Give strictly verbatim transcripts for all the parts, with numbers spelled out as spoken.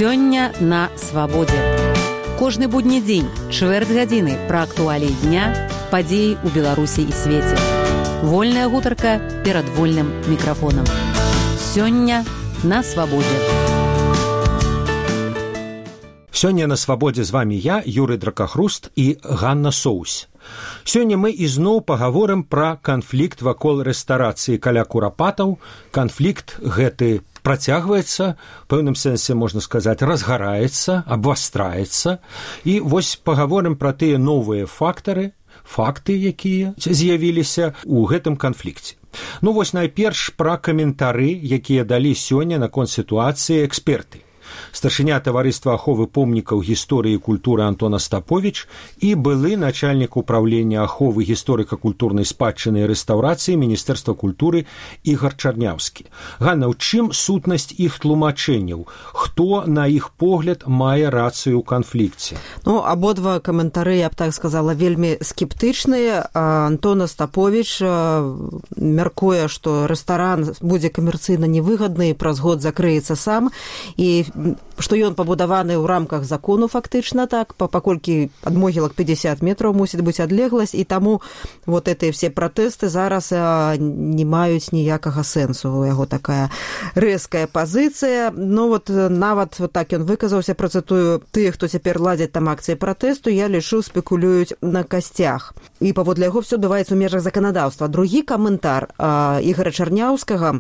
Сёння на свабодзе. Кожны будні дзень, чвэрць гадзіны пра актуаліі дня, падзеі ў Беларусі і свеце. Вольная гутарка перад вольным мікрафонам. Сёння на свабодзе. Сёння на свабодзе з вамі я, Юрый Дракахруст і Ганна Соусь. Сёння мы ізноў пагаворым пра канфлікт вакол рэстарацыі каля курапатаў. Канфлікт гэты працягваецца, в пэўным сэнсе, можна сказаць, разгараецца, абвастраецца. І вось пагаворым пра тыя новыя фактары, факты, якія з'явіліся ў гэтым канфлікце. Ну вось найперш пра каментары, якія далі сёння наконт сітуацыі эксперты. Старшыня таварыства аховы помнікаў гісторыі і культуры Антон Остапович і былы начальнік управлення аховы гісторыка-культурнай спадчыны і рэстаўрацыі Міністэрства культуры Ігар Чарняўскі. Ганна, ў чым сутнасць іх тлумачэнняў? Хто, на іх погляд, мае рацыю ў канфлікце? Ну, абодва каментары, я б так сказала, вельмі скептычныя. Антон Остапович мяркуе, што рэстаран будзе камерцыйна невыгадны і праз год закрыецца сам, і што ён пабудаваны ў рамках закону фактычна так, паколькі ад могілак пятьдесят метраў мусіць быць адлегласць, і таму вот гэтыя все пратэсты зараз не маюць ніякага сэнсу. У яго такая рэзкая пазіцыя. Ну вот нават вот так ён выказаўся, працытую, тыя, хто цяпер ладзяць там акцыі пратэсту, я лічу, спекулююць на касцях. І паводле яго все адбываецца ў межах заканадаўства. Другі каментар Ігара Чарняўскага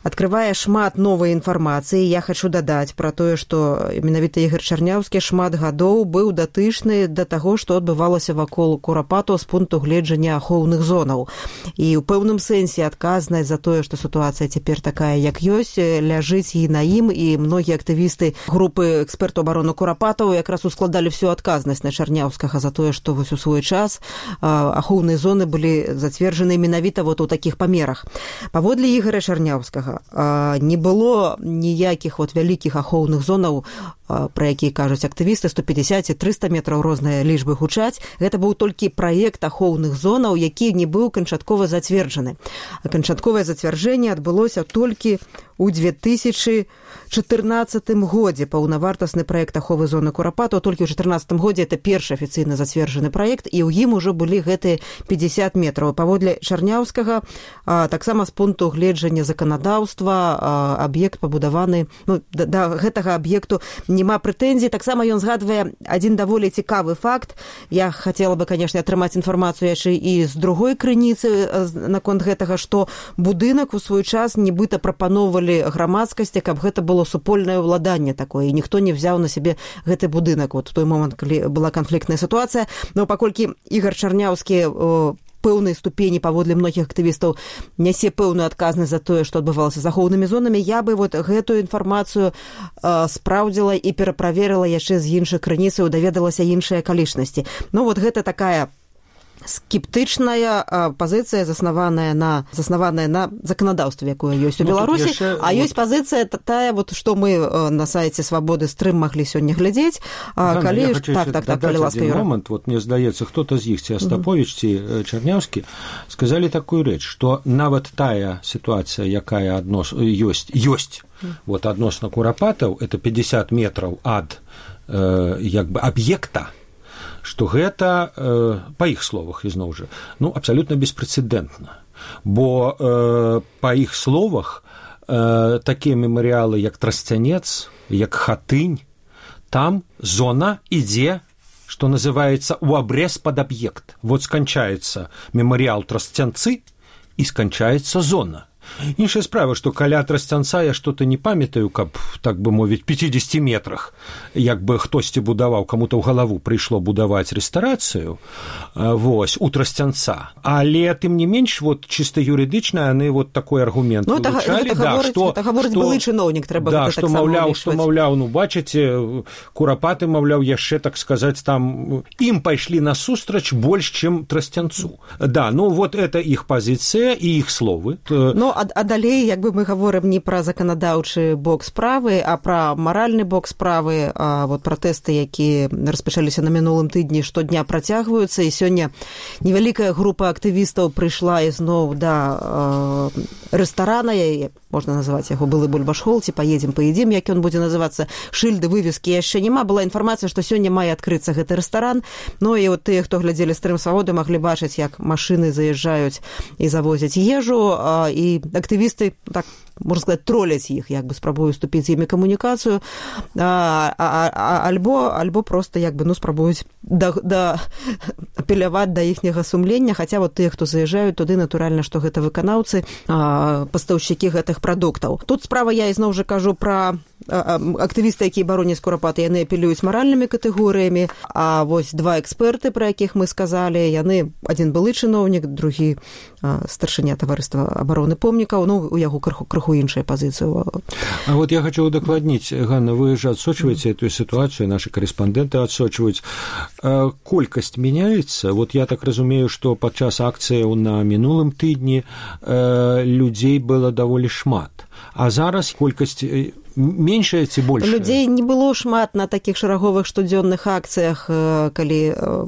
открывае шмат новай інфармацыі. Я хочу дадаць пра тое, што менавіта Ігар Чарняўскі шмат гадоў быў датычны да таго, што адбывалася вакол курапатаў з пункту гледжання ахоўных зонаў. І ў пэўным сэнсе адказнасць за тое, што сітуацыя цяпер такая, як ёсць, ляжыць і на ім, і многія актывісты групы экспертаў абароны курапатаў якраз ускладалі всю адказнасць на Чарняўскага за тое, што вось у свой час ахоўныя зоны былі зацверджаны менавіта вот у такіх памерах. Паводле Ігара Чарняўскага не было ніякіх вот вялікіх ахоўных зонаў, пра якія кажуць актывісты, сто пятьдесят - триста метраў, розныя лічбы гучаць. Гэта быў толькі праект ахоўных зонаў, які не быў канчаткова зацверджаны. Канчатковае зацвярджэнне адбылося толькі ў две тысячи чатырнаццатым годзе. Паўнавартасны праект аховы зоны курапатаў толькі ў чатырнаццатым годзе это першы афіцыйна зацверджаны праект, і ў ім ужо былі гэтыя пятьдесят метраў. Паводле Чарняўскага таксама з пункту гледжання заканадаўства аб'ект пабудаваны, ну, да, да гэтага аб'екту няма прэтэнзій. Таксама ён згадвае адзін даволі цікавы факт. Я хацела бы, конечно, атрымаць інфармацыю яшчэ і з другой крыніцы наконт гэтага, што будынак у свой час нібыта прапановвалі грамадскасці, каб гэта было супольнае ўладанне такое, і ніхто не взяў на сябе гэты будынак вот у той момант, калі была канфліктная сітуацыя. Но паколькі Ігар Чарняўскі пэўнай ступені паводле многіх актывістаў нясе пэўную адказнасць за тое, што адбывалася з ахоўнымі зонамі, я бы вот гэтую інфармацыю э, спраўдзіла і пераправерыла яшчэ з іншых крыніцаў, даведалася іншыя акалічнасці. Ну вот гэта такая скептычная пазіцыя, заснаваная на заснаваная на заканадаўстве, якое ёсць у Беларусі, ну, а ёсць вот пазіцыя тая, вот што мы на сайце Свабоды стрым маглі сёння глядзець. Ганна, калі я хочу так, так, так, калі ласка, Юра. Момент, вот мне здаецца, хто-то з іх, ці Остапович, ці mm-hmm. Чарняўскі, сказалі такую рэч, што нават тая сітуацыя, якая аднос ёсць, ёсць mm-hmm. вот адносна курапатаў, это пятьдесят метраў ад э, як бы аб'екта, што гэта, э, па іх словах, ізноў жа, ну, абсалютна беспрэцэдэнтна. Бо э, па іх словах э, такія мемарыялы, як Трасцянец, як Хатынь, там зона ідзе, што называецца, у абрэз пад аб'ект. Вот сканчаецца мемарыял Трасцянцы і сканчаецца зона. Іншая справа, што каля Трасцянца я што-то не памятаю, каб, так бы мовіць, пятьдесят метрах, як бы хтосьці будаваў, каму-то ў галаву прыйшло будаваць рэстарацыю, вось, у Трасцянца. Але, тым не менш, вот, чыста юрыдычна, яны вот такой аргумент ну, вылучалі, гэта, да, што... Гэта гаворыць былы чыноўнік, трэба да, гэта што, так маўляў, само што, маўляў, ну, бачыце, курапаты, маўляў, яшчэ, так сказаць, там, ім пайшлі насустрач больш, чым Трасцянцу. Да, ну, вот это іх пазіцыя і іх словы. Ну, а, а далей, як бы мы гаворым не пра заканадаўчы бок справы, а пра маральны бок справы, а вот пратэсты, якія распачаліся на мінулым тыдні, штодня працягваюцца, і сёння невялікая група актывістаў прыйшла ізноў да рэстарана, можна называць яго былы бульбашхол, ці паедзем паедзім, як ён будзе называцца, шыльды, вывескі яшчэ няма. Была інфармацыя, што сёння мае адкрыцца гэты рэстаран. Ну і от тыя, хто глядзелі стрым свабоды, маглі бачыць, як машыны заязджаюць і завозяць ежу, і актывісты, так можна сказаць, троляць іх, як бы спрабуюць уступіць з імі камунікацыю, а, а, а, альбо, альбо проста як бы, ну, спрабуюць да, да, апеляваць да іхняга сумлення, хаця вот тыя, хто заязджаюць туды, натуральна, што гэта выканаўцы, а, пастаўшчыкі гэтых прадуктаў. Тут справа, я ізноў жа кажу пра актывісты, якія бароняць курапаты, яны апелююць маральнымі катэгорыямі, а вось два эксперты, пра якіх мы сказалі, яны, адзін былы чыноўнік, другі старшыня таварыства абароны помнікаў, ну, у яго крыху, крыху іншая пазіцыя. А вот я хочу удакладніць, Ганна, вы же отсочиваете эту ситуацию, наши корреспонденты отсочивают. Колькасць меняется. Вот я так разумею, что падчас акцыі на мінулым тыдні людзей было даволі шмат. А зараз колькасць меншая ці большая? Людзей не было шмат на такіх шараговых штодзённых акцыях, калі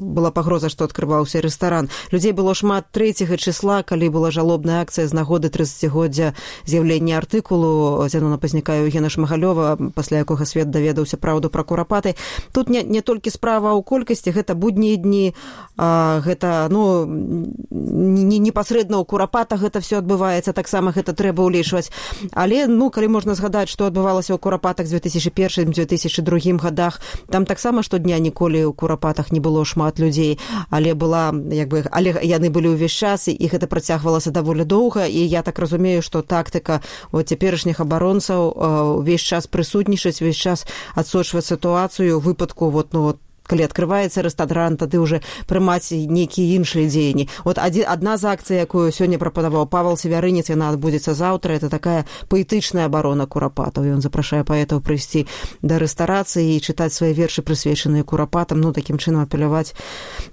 была пагроза, што адкрываўся рэстаран. Людзей было шмат трэцяга числа, калі была жалобная акцыя з нагоды трыццацігоддзя з'яўлення артыкулу Зянона Пазняка і Еўгена Шмагалёва, пасля якога свет даведаўся праўду пра курапаты. Тут не, не толькі справа ў колькасці, гэта буднія дні, а, гэта, ну, не, непасрэдна ў курапатах гэта все адбываецца, таксама гэта трэба ўлічваць. Але, ну, калі можна згадаць, што адбывалася у курапатах з дзве тысячы першым - дзве тысячы другім гадах, там таксама штодня ніколі ў курапатах не было шмат людзей, але была, як бы, але яны былі ўвесь час, і гэта працягвалася даволі доўга, і я так разумею, што тактыка от цяперашніх абаронцаў увесь час прысутнічаць, увесь час адсочваць сітуацыю ў выпадку вот, ну, вот, калі адкрываецца рэстаран, тады ўжо прымаць нейкія іншыя дзеянні. Вот адна з акцый, якую сёння прапанаваў Павел Севярынец, яна адбудзецца заўтра, это такая паэтычная абарона курапатаў. Ён запрашае паэтаў прыйсці да рэстарацыі і чытаць свае вершы, прысвечаныя курапатам, ну, такім чынам апеляваць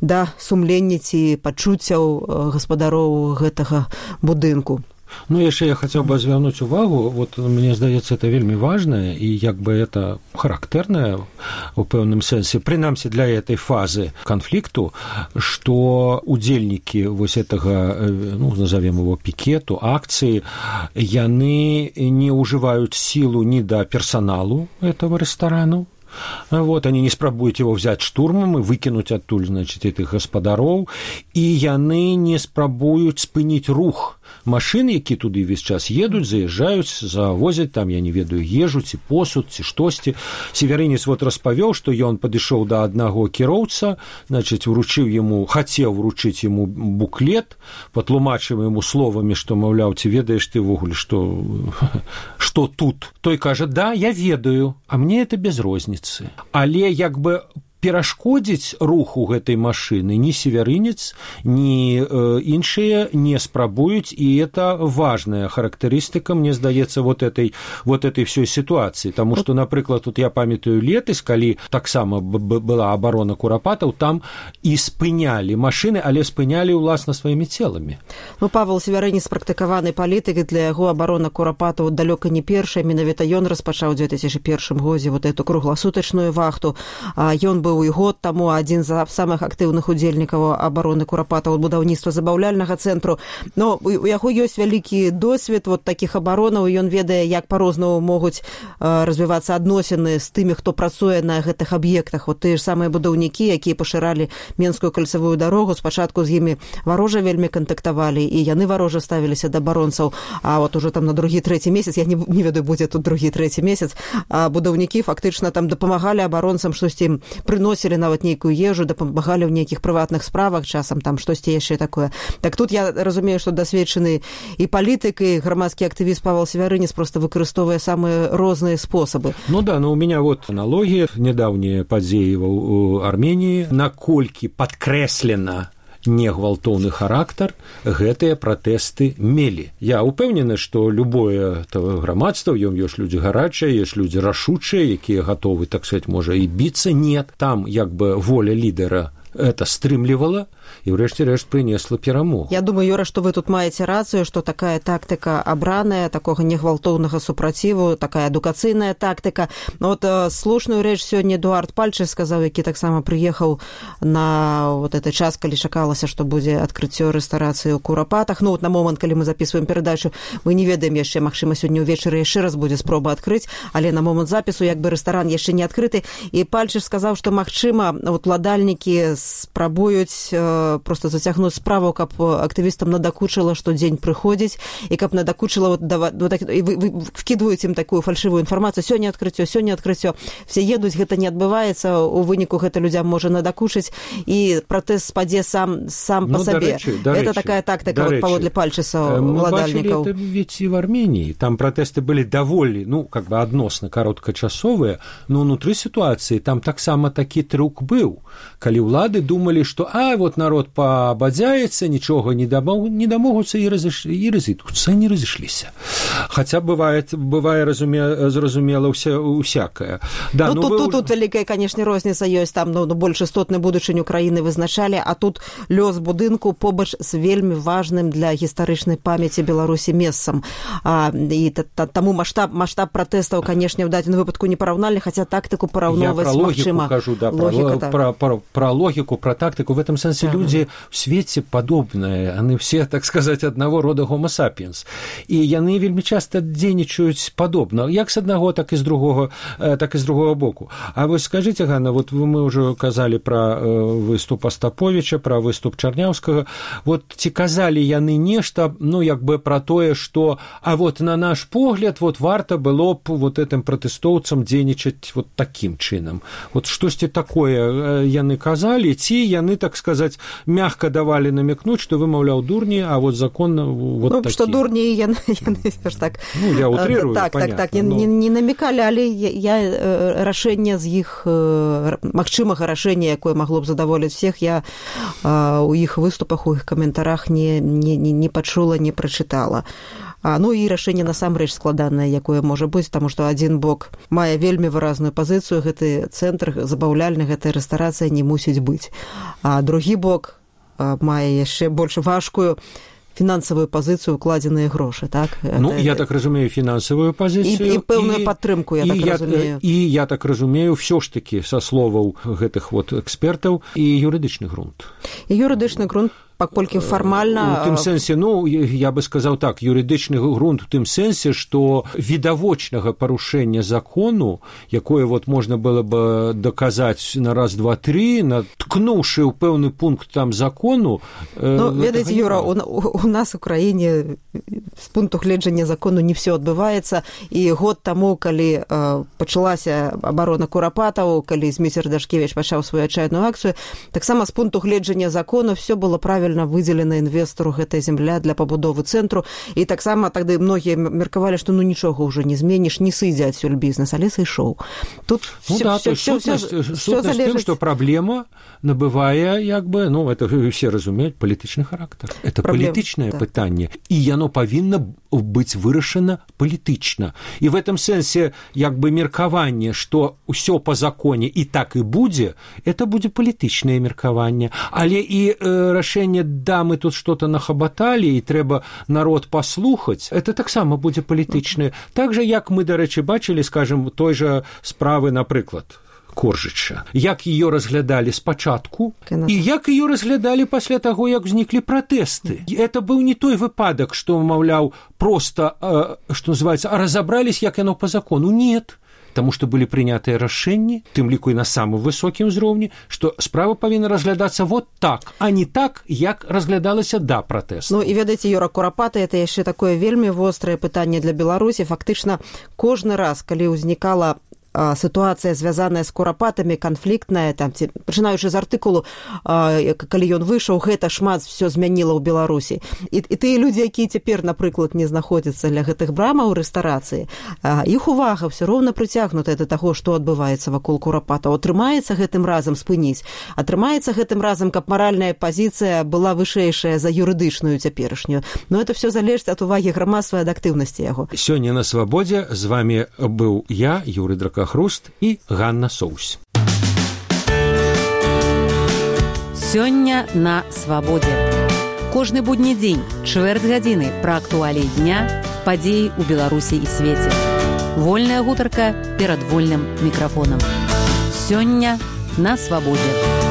да сумлення ці пачуццяў гаспадароў гэтага будынку. Ну, яшчэ я хацеў бы звярнуць увагу, вот мне здаецца, это вельмі важнае і як бы это характэрнае у пэўным сэнсе, прынамсі для этой фазы канфлікту, што удзельнікі вось гэтага, ну, назовем его пікету, акцыі, яны не ўжываюць сілу ні да персаналу этого рэстарану. Вот, они не спрабуюць его взять штурмом и выкинуть оттуль, значит, этих гаспадароў, и яны не спрабуюць спыніць рух машин, які туды весь час едуць, заязджаюць, завозяць там, я не ведаю, ежу, ці посуд, ці штосьці. Севярынец вот распавёў, што ён падышоў да аднаго кіроўца, значит, вручыў ему, хацеў вручыць ему буклет, патлумачыў ему словамі, што, маўляў, ці ведаеш ты ввогуле, што, што тут? Той кажа, да, я ведаю, а мне это без розніцы. Але як бы перашкодзіць руху гэтай машыны ні Севярынец, ні э, іншыя не спрабуюць, і это важная характарыстыка, мне здаецца, вот этой, вот этой всей ситуации. Таму што, напрыклад, тут я памятаю летась, калі таксама была абарона курапатаў, там і спынялі машыны, але спынялі ўласна сваімі целамі. Ну, Павел Севярынец практыкаваны палітык, і для яго абарона курапатаў далёка не першая, менавіта ён распачаў у дзве тысячы першым годзе вот эту кругласутачную вахту. А ён быў і год таму адзін з самых актыўных удзельнікаў абароны курапатаў будаўніцтва забаўляльнага цэнтру. Но у яго ёсць вялікі досвед вот такіх абаронаў, і ён ведае, як па-рознаму могуць развівацца адносіны з тымі, хто працуе на гэтых аб'ектах. Вот тыя ж самыя будаўнікі, якія пашыралі Менскую кальцавую дарогу, спачатку з імі варожа вельмі кантактавалі, і яны варожа ставіліся да абаронцаў, а вот уже там на другі, трэці месяц, я не, не ведаю, будзе тут другі, трэці месяц, а будаўнікі фактычна там дапамагалі абаронцам, штосьці ім прыносілі нават нейкую ежу, дапамагалі ў нейкіх прыватных справах, часам там штосьці яшчэ такое. Так тут я разумею, што дасведчаны і палітык, і грамадскі актывіст Павел Севярынец просто выкарыстоўвае самыя розныя спосабы. Ну да, но у меня вот аналогія, недаўнія падзеі ў Арменіі, наколькі падкрэслена негвалтоўны характар гэтыя пратэсты мелі. Я ўпэўнены, што любое грамадства, ён ёсць людзі гарачыя, ёсць людзі рашучыя, якія гатовы, так сказать, можа і біцца. Нет, там як бы воля лідера это стрымлівала, і ўрэшце рэшт прынесла перамогу. Я думаю, Юра, што вы тут маеце рацыю, што такая тактыка абраная, такога негвалтоўнага супраціву, такая адукацыйная тактыка. Но вот э, слушную рэч сёння Эдуард Пальчы сказаў, які таксама прыехаў на вот этой час, калі чакалася, што будзе адкрыццё рэстарацыі ў Курапатах. Ну вот на момант, калі мы записываем перадачу, мы не ведаем яшчэ, магчыма, сёння ўвечары яшчэ раз будзе спроба адкрыць, але на момант запісу як бы рэстаран яшчэ не адкрыты. І Пальчы сказаў, што магчыма, вот уладальнікі спрабуюць э, просто зацягнуць справу, каб актывістам надакучыла, што дзень прыходзіць, і каб надакучыла, вот, дава, вот так, і вы, вы вкідваюць ім такую фальшывую інфармацыю, сёння адкрыццё, сёння адкрыццё. Все едуць, гэта не адбываецца, у выніку гэта людзям можа надакучыць, і пратэст спадзе сам, сам ну, па сабе. Рэчы, это рэчы, такая тактыка вот, паводле Пальчыса уладальнікаў. Мы бачылі это ведь і в Армении, там пратэсты былі даволі, ну, как бы адносна кароткачасовыя, но ўнутры сітуацыі там таксама такі трюк быў, калі ўлады думалі, што а, вот народ пабадзяецца, нічога не, дамог, не дамогуцца і, разыш... і разыдуцца, не разышліся. Хаця бывае, бывае разуме... зразумела ўся, усякае. Да, ну, ну, тут, вы... тут, тут вялікая, канешне, розніца ёсць, там ну, больш істотны будучыню краіны вызначалі, а тут лёс будынку побач з вельмі важным для гістарычнай памяці Беларусі месцам. А, і та, та, таму маштаб, маштаб пратэстаў, канешне, ў дадзеным выпадку непараўнальны, хаця тактыку параўноўваць магчыма. Я пра логіку кажу, да, логіка, пра, пра, пра, пра логіку, пра тактыку. В этом сэнсе ага. Людзі ў свеце падобныя, яны все, так сказаць, аднаго рода homo sapiens. І яны вельмі часта дзейнічаюць падобна, як з аднаго, так і з другого, так і з другого боку. А вось скажыце, Ганна, вот мы ўжо казалі пра выступ Астаповіча, пра выступ Чарняўскага. Вот ці казалі яны нешта, ну, як бы пра тое, што, а вот на наш погляд, вот варта было б вот этим пратэстоўцам дзейнічаць вот такім чынам. Вот штосьці такое яны казалі, ці яны, так сказаць, мягка давалі намекнуць, што вы, маўляў, дурні, а вот закон вот ну, такі. Што дурні, яны, яны так... Ну, я утрирую, так, понятно. Так, так, но... не, не намекалі, але я, я рашэнне з іх, магчымага рашэння, якое магло б задаволіць всех, я у іх выступах, у іх каментарах не, не, не, не пачула, не прачытала. А, ну і рашэнне насамрэч складанае, якое можа быць, таму што адзін бок мае вельмі выразную пазіцыю, гэты цэнтр забаўляльны, гэтая рэстарацыя не мусіць быць. А другі бок а, мае яшчэ больш важкую фінансавую пазіцыю, укладзеныя грошы, так? Ну, это... я так разумею, фінансавую пазіцыю. І, і пэўную і, падтрымку, я так я, разумею. І я так разумею, ўсё ж такі, са словаў гэтых вот экспертаў, і юрыдычны грунт. І юрыдычны грунт, паколькі фармальна... У тым сэнсе, ну, я бы сказаў так, юрыдычны грунт у тым сэнсе, што відавочнага парушэння закону, якое вот можна было бы доказаць на раз, два, тры, наткнуўшы ў пэўны пункт там закону... Ну, ведаеце, Юра, у, у нас у краіне з пункту гледжання закону не все адбываецца, і год таму, калі э, пачалася абарона Курапатаў, калі Зміцер Дашкевіч пачаў сваю адчайную акцыю, таксама з пункту гледжання закону все было правильно выдзелена інвестару гэтая земля для пабудовы цэнтру, і таксама тады многія меркавалі, што ну нічога ўжо не зменіш, не сыдзе адсюль бізнес, але сышоў. Тут ну, все, да, все, все, все, сутнасць, все, сутнасць все залежыць... тым, што праблема набывае, як бы, ну, это все разумеюць, палітычны характар. Это Проблем, палітычнае да. пытанне, і яно павінна быць вырашана палітычна. І в этом сэнсе, як бы, меркаванне, што ўсё па законе і так і будзе, это будзе палітычнае меркаванне. Але і э, рашэнне да, мы тут что-то нахабаталі, і трэба народ паслухаць, это таксама будзе палітычнае. Так жа, як мы, дарэчы, бачылі, скажем, той жа справы, напрыклад, Коржыча. Як ее разглядалі спачатку, і як ее разглядалі пасля таго, як узніклі пратэсты. Это быў не той выпадак, што, маўляў, просто, э, што называецца, разабрались, як яно по закону. Нет. Таму што былі прынятыя рашэнні, тым ліку і на самым высокім узроўні, што справа павінна разглядацца вот так, а не так, як разглядалася да пратэсту. Ну і ведаеце, Юра, Курапаты, это яшчэ такое вельмі вострае пытанне для Беларусі. Фактычна, кожны раз, калі ўзнікала сітуацыя, звязаная з Курапатамі, канфліктная, там, ці, пачынаючы з артыкулу, калі ён выйшаў, гэта шмат все змяніла ў Беларусі. І, і тыя людзі, якія цяпер, напрыклад, не знаходзяцца ля гэтых брамаў рэстарацыі, іх увага все роўна прыцягнутая да таго, што адбываецца вакол Курапатаў. Атрымаецца гэтым разам спыніць, атрымаецца гэтым разам, каб маральная пазіцыя была вышэйшая за юрыдычную цяперашнюю. Но это все залежыць ад увагі грамадства і ад актыўнасці яго. Сёння на Свабодзе з вами быў я, Юрый Дракахруст, і Ганна Соусь. Сёння на свабодзе. Кожны будні дзень, чвэрць гадзіны пра актуаліі дня, падзеі ў Беларусі і свеце. Вольная гутарка перад вольным мікрафонам. Сёння на свабодзе.